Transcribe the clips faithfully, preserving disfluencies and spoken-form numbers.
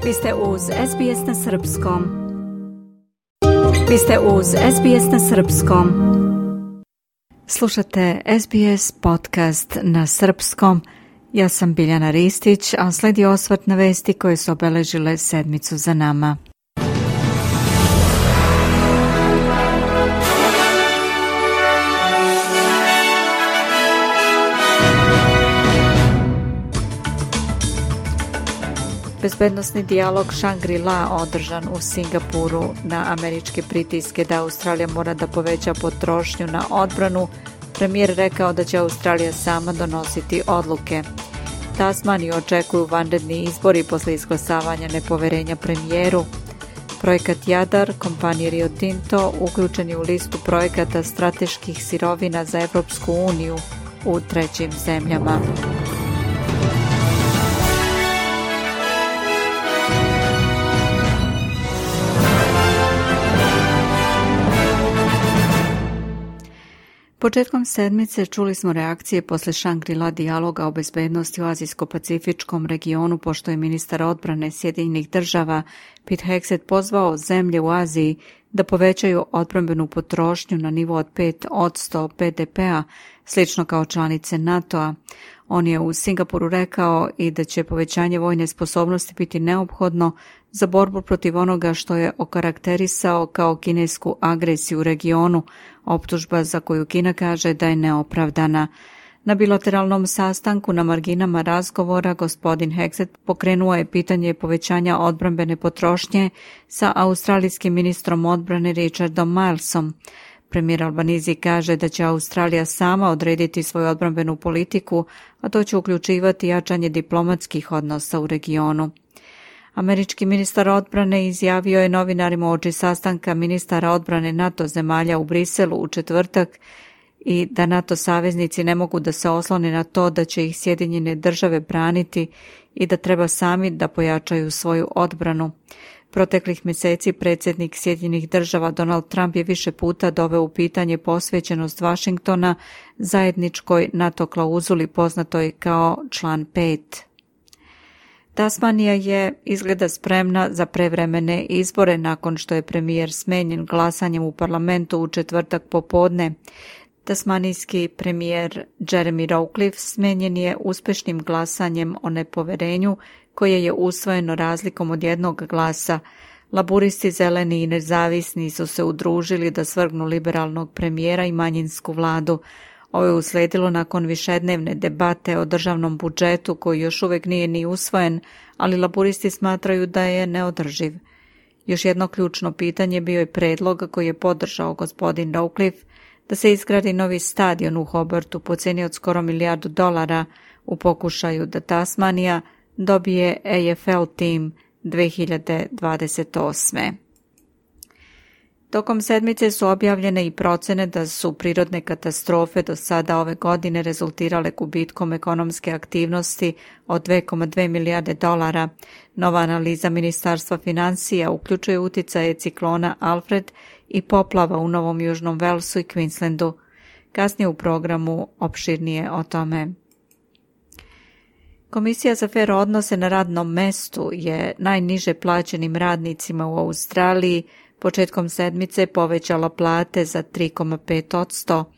Vi ste uz S B S na Srpskom. Vi ste uz S B S na Srpskom. Slušate S B S podcast na Srpskom. Ja sam Biljana Ristić, a sledi osvrt na vesti koje su obeležile sedmicu za nama. Bezbednosni dijalog Shangri-La održan u Singapuru na američke pritiske da Australija mora da poveća potrošnju na odbranu. Premijer rekao da će Australija sama donositi odluke. Tasmaniju očekuju vanredni izbori posle izglasavanja nepoverenja premijeru. Projekat Jadar, kompanije Rio Tinto, uključen je u listu projekata strateških sirovina za Evropsku uniju u trećim zemljama. Početkom sedmice čuli smo reakcije posle Shangri-La dijaloga o bezbednosti u Azijsko-Pacifičkom regionu, pošto je ministar odbrane Sjedinjenih država Pete Hegseth pozvao zemlje u Aziji da povećaju odbrambenu potrošnju na nivo od pet posto B D P-a, slično kao članice NATO-a. On je u Singapuru rekao i da će povećanje vojne sposobnosti biti neophodno za borbu protiv onoga što je okarakterisao kao kinesku agresiju u regionu, optužba za koju Kina kaže da je neopravdana. Na bilateralnom sastanku na marginama razgovora gospodin Hegseth pokrenuo je pitanje povećanja odbrambene potrošnje sa australijskim ministrom odbrane Richardom Milesom. Premijer Albanizi kaže da će Australija sama odrediti svoju odbrambenu politiku, a to će uključivati jačanje diplomatskih odnosa u regionu. Američki ministar odbrane izjavio je novinarima uoči sastanka ministara odbrane NATO zemalja u Briselu u četvrtak i da NATO saveznici ne mogu da se oslone na to da će ih Sjedinjene države braniti i da treba sami da pojačaju svoju odbranu. Proteklih mjeseci predsjednik Sjedinjenih država Donald Trump je više puta doveo u pitanje posvećenost Vašingtona zajedničkoj NATO klauzuli poznatoj kao član pet. Tasmanija je izgleda spremna za prevremene izbore nakon što je premijer smenjen glasanjem u parlamentu u četvrtak popodne. Tasmanijski premijer Jeremy Rockliff smenjen je uspešnim glasanjem o nepoverenju koje je usvojeno razlikom od jednog glasa. Laburisti, zeleni i nezavisni su se udružili da svrgnu liberalnog premijera i manjinsku vladu. Ovo je usledilo nakon višednevne debate o državnom budžetu koji još uvijek nije ni usvojen, ali laburisti smatraju da je neodrživ. Još jedno ključno pitanje bio je predlog koji je podržao gospodin Rockliff da se izgradi novi stadion u Hobartu po cijeni od skoro milijardu dolara u pokušaju da Tasmanija dobije A F L tim dve hiljade dvadeset osme. Tokom sedmice su objavljene i procene da su prirodne katastrofe do sada ove godine rezultirale gubitkom ekonomske aktivnosti od dve zarez dve milijarde dolara. Nova analiza Ministarstva financija uključuje uticaje ciklona Alfred i poplava u Novom Južnom Walesu i Queenslandu. Kasnije u programu opširnije o tome. Komisija za fer odnose na radnom mestu je najniže plaćenim radnicima u Australiji početkom sedmice povećala plate za tri zarez pet posto.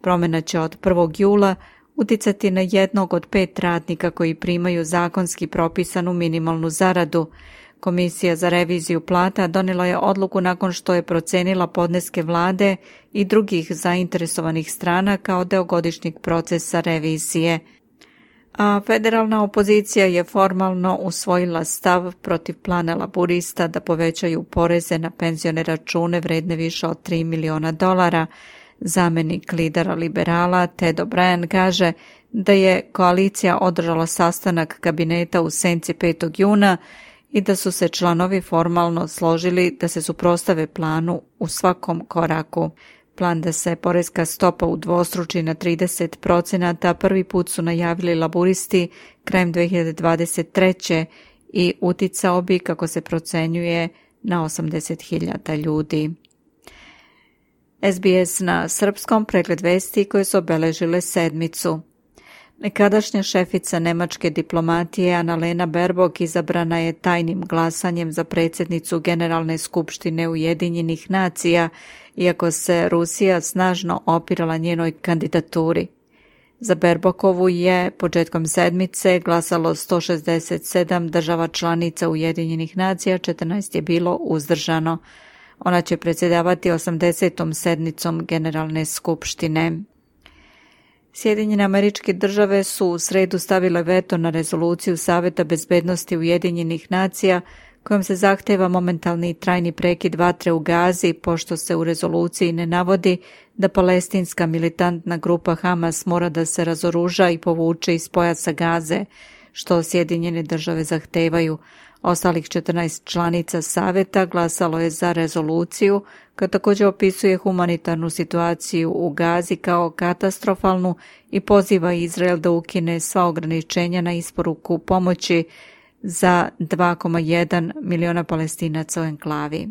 Promjena će od prvog jula uticati na jednog od pet radnika koji primaju zakonski propisanu minimalnu zaradu. Komisija za reviziju plata donijela je odluku nakon što je procenila podneske vlade i drugih zainteresovanih strana kao deo godišnjeg procesa revizije. A federalna opozicija je formalno usvojila stav protiv plana laburista da povećaju poreze na penzione račune vredne više od tri miliona dolara. Zamenik lidera liberala Ted O'Brien kaže da je koalicija održala sastanak kabineta u senci petog juna i da su se članovi formalno složili da se suprotstave planu u svakom koraku. Plan da se poreska stopa udvostruči na trideset procenata prvi put su najavili laburisti krajem dve hiljade dvadeset treće i uticao bi, kako se procenjuje, na osamdeset hiljada ljudi. S B S na srpskom, pregled vesti koje su obeležile sedmicu. Nekadašnja šefica nemačke diplomatije Annalena Baerbock izabrana je tajnim glasanjem za predsjednicu Generalne skupštine Ujedinjenih nacija, iako se Rusija snažno opirala njenoj kandidaturi. Za Baerbockovu je početkom sedmice glasalo sto šezdeset sedam država članica Ujedinjenih nacija, četrnaest je bilo uzdržano. Ona će predsjedavati osamdesetom sednicom Generalne skupštine. Sjedinjene Američke Države su u sredu stavile veto na rezoluciju Saveta bezbednosti Ujedinjenih nacija kojom se zahteva momentalni i trajni prekid vatre u Gazi, pošto se u rezoluciji ne navodi da palestinska militantna grupa Hamas mora da se razoruža i povuče iz pojasa Gaze, što Sjedinjene Države zahtevaju. Ostalih četrnaest članica Saveta glasalo je za rezoluciju, koja također opisuje humanitarnu situaciju u Gazi kao katastrofalnu i poziva Izrael da ukine sva ograničenja na isporuku pomoći za dva zarez jedan miliona Palestinaca u enklavi.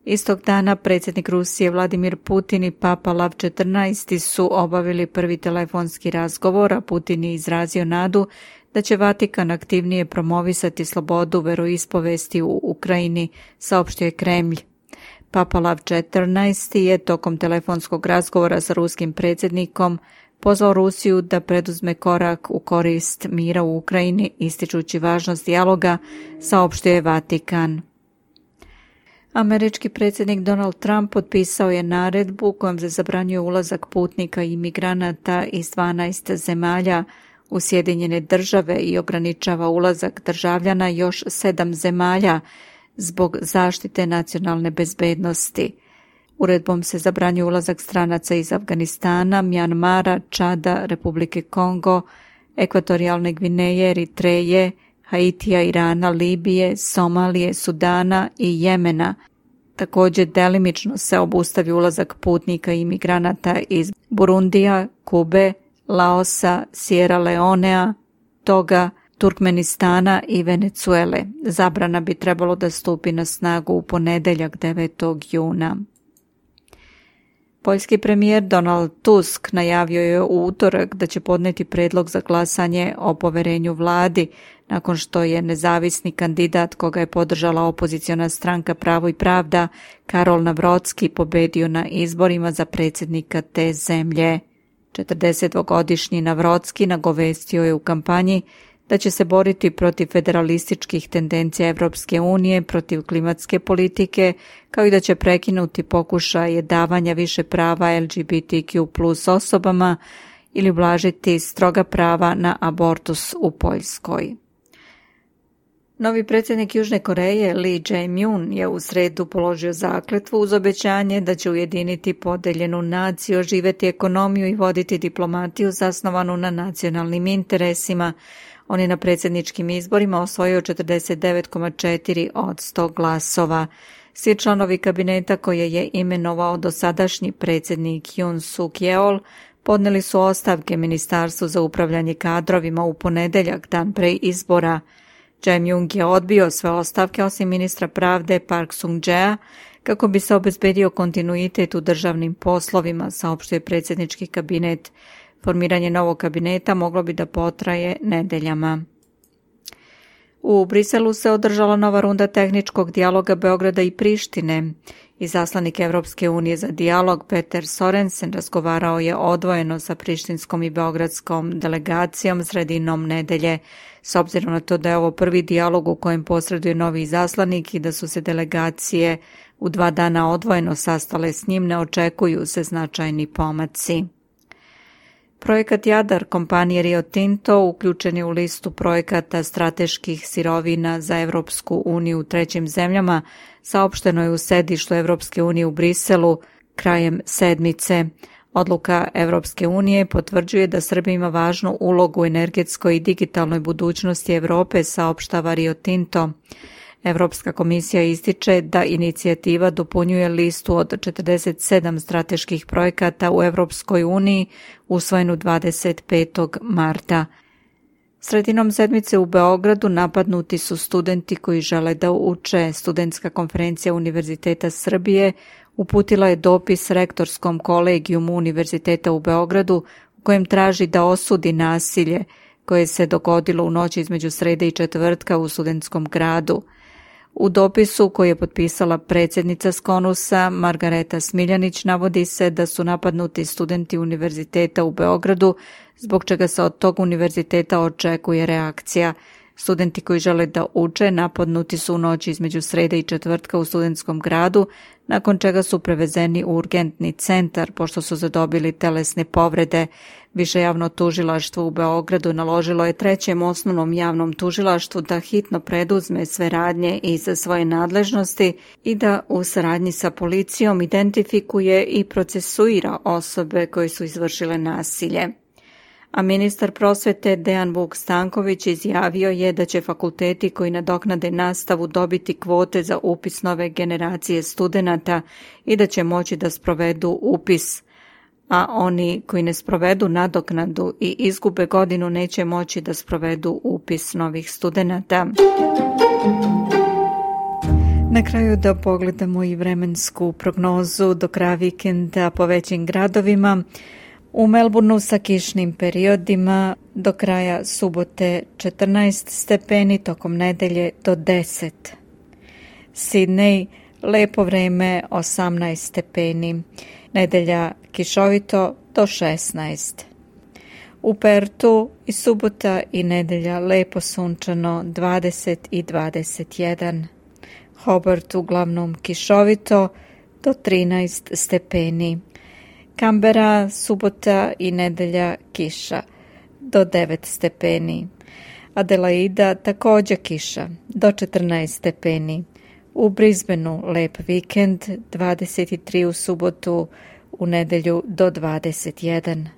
Istog dana predsjednik Rusije Vladimir Putin i Papa Lav četrnaesti su obavili prvi telefonski razgovor, a Putin je izrazio nadu da će Vatikan aktivnije promovisati slobodu veroispovesti u Ukrajini, saopštio je Kremlj. Papa Lav četrnaesti je tokom telefonskog razgovora sa ruskim predsjednikom pozvao Rusiju da preduzme korak u korist mira u Ukrajini, ističući važnost dijaloga, saopštio je Vatikan. Američki predsjednik Donald Trump potpisao je naredbu kojom se zabranjuje ulazak putnika i imigranata iz dvanaest zemalja u Sjedinjene Države i ograničava ulazak državljana još sedam zemalja zbog zaštite nacionalne bezbednosti. Uredbom se zabranjuje ulazak stranaca iz Afganistana, Mjanmara, Čada, Republike Kongo, Ekvatorijalne Gvineje, Eritreje, Haitija, Irana, Libije, Somalije, Sudana i Jemena. Također delimično se obustavi ulazak putnika i imigranata iz Burundija, Kube, Laosa, Sierra Leonea, Toga, Turkmenistana i Venecuele. Zabrana bi trebalo da stupi na snagu u ponedeljak devetog juna. Poljski premijer Donald Tusk najavio je u utorak da će podneti predlog za glasanje o poverenju vladi, nakon što je nezavisni kandidat koga je podržala opoziciona stranka Pravo i pravda, Karol Navrocki, pobedio na izborima za predsjednika te zemlje. četrdesetdvogodišnji Navrocki nagovestio je u kampanji da će se boriti protiv federalističkih tendencija Evropske unije, protiv klimatske politike, kao i da će prekinuti pokušaje davanja više prava L G B T Q plus osobama ili ublažiti stroga prava na abortus u Poljskoj. Novi predsjednik Južne Koreje Lee Jae-myung je u sredu položio zakletvu uz obećanje da će ujediniti podeljenu naciju, oživjeti ekonomiju i voditi diplomatiju zasnovanu na nacionalnim interesima. On je na predsjedničkim izborima osvojio četrdeset devet zarez četiri od sto glasova. Svi članovi kabineta koje je imenovao dosadašnji predsjednik Yoon Suk Yeol podnijeli su ostavke Ministarstvu za upravljanje kadrovima u ponedeljak, dan pre izbora. Jae-myung je odbio sve ostavke osim ministra pravde Park Sung-jaea kako bi se obezbedio kontinuitet u državnim poslovima, saopštio je predsjednički kabinet. Formiranje novog kabineta moglo bi da potraje nedeljama. U Briselu se održala nova runda tehničkog dijaloga Beograda i Prištine. Izaslanik Evropske unije za dijalog Peter Sorensen razgovarao je odvojeno sa prištinskom i beogradskom delegacijom sredinom nedelje. S obzirom na to da je ovo prvi dijalog u kojem posreduje novi izaslanik i da su se delegacije u dva dana odvojeno sastale s njim, ne očekuju se značajni pomaci. Projekat Jadar kompanije Rio Tinto uključen je u listu projekata strateških sirovina za Evropsku uniju u trećim zemljama, saopšteno je u sedištu Evropske unije u Briselu krajem sedmice. Odluka Evropske unije potvrđuje da Srbija ima važnu ulogu u energetskoj i digitalnoj budućnosti Evrope, saopštava Rio Tinto. Evropska komisija ističe da inicijativa dopunjuje listu od četrdeset sedam strateških projekata u Evropskoj uniji usvojenu dvadeset petog marta. Sredinom sedmice u Beogradu napadnuti su studenti koji žele da uče. Studentska konferencija Univerziteta Srbije uputila je dopis rektorskom kolegijumu Univerziteta u Beogradu u kojem traži da osudi nasilje koje se dogodilo u noći između srede i četvrtka u studentskom gradu. U dopisu koji je potpisala predsjednica Skonusa, Margareta Smiljanić, navodi se da su napadnuti studenti univerziteta u Beogradu, zbog čega se od tog univerziteta očekuje reakcija. Studenti koji žele da uče napadnuti su u noći između srede i četvrtka u studentskom gradu, nakon čega su prevezeni u urgentni centar pošto su zadobili telesne povrede. Više javno tužilaštvo u Beogradu naložilo je trećem osnovnom javnom tužilaštvu da hitno preduzme sve radnje iz svoje nadležnosti i da u saradnji sa policijom identifikuje i procesuira osobe koje su izvršile nasilje. A ministar prosvete Dejan Vuk Stanković izjavio je da će fakulteti koji nadoknade nastavu dobiti kvote za upis nove generacije studenata i da će moći da sprovedu upis, a oni koji ne sprovedu nadoknadu i izgube godinu neće moći da sprovedu upis novih studenata. Na kraju da pogledamo i vremensku prognozu do kraja vikenda po većim gradovima. U Melbourneu sa kišnim periodima, do kraja subote četrnaest stepeni, tokom nedelje do deset. Sidney, lepo vreme osamnaest stepeni, nedelja kišovito do šesnaest. U Pertu i subota i nedelja lepo sunčano dvadeset i dvadeset jedan. Hobart uglavnom kišovito do trinaest stepeni. Kambera, subota i nedelja kiša do devet stepeni. Adelaida također kiša do četrnaest stepeni. U Brisbaneu lep vikend, dvadeset tri u subotu, u nedelju do dvadeset jedan.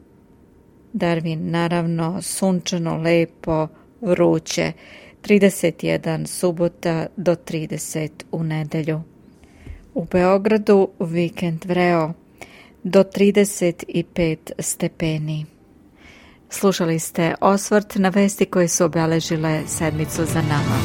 Darwin naravno sunčano, lepo, vruće, trideset jedan subota do trideset u nedelju. U Beogradu vikend vreo do trideset pet stepeni. Slušali ste osvrt na vesti koje su obeležile sedmicu za nama.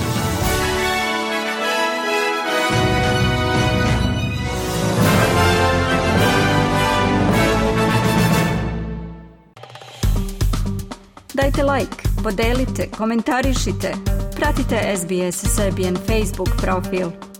Dajte like, podelite, komentarišite, pratite S B S Serbian Facebook profil.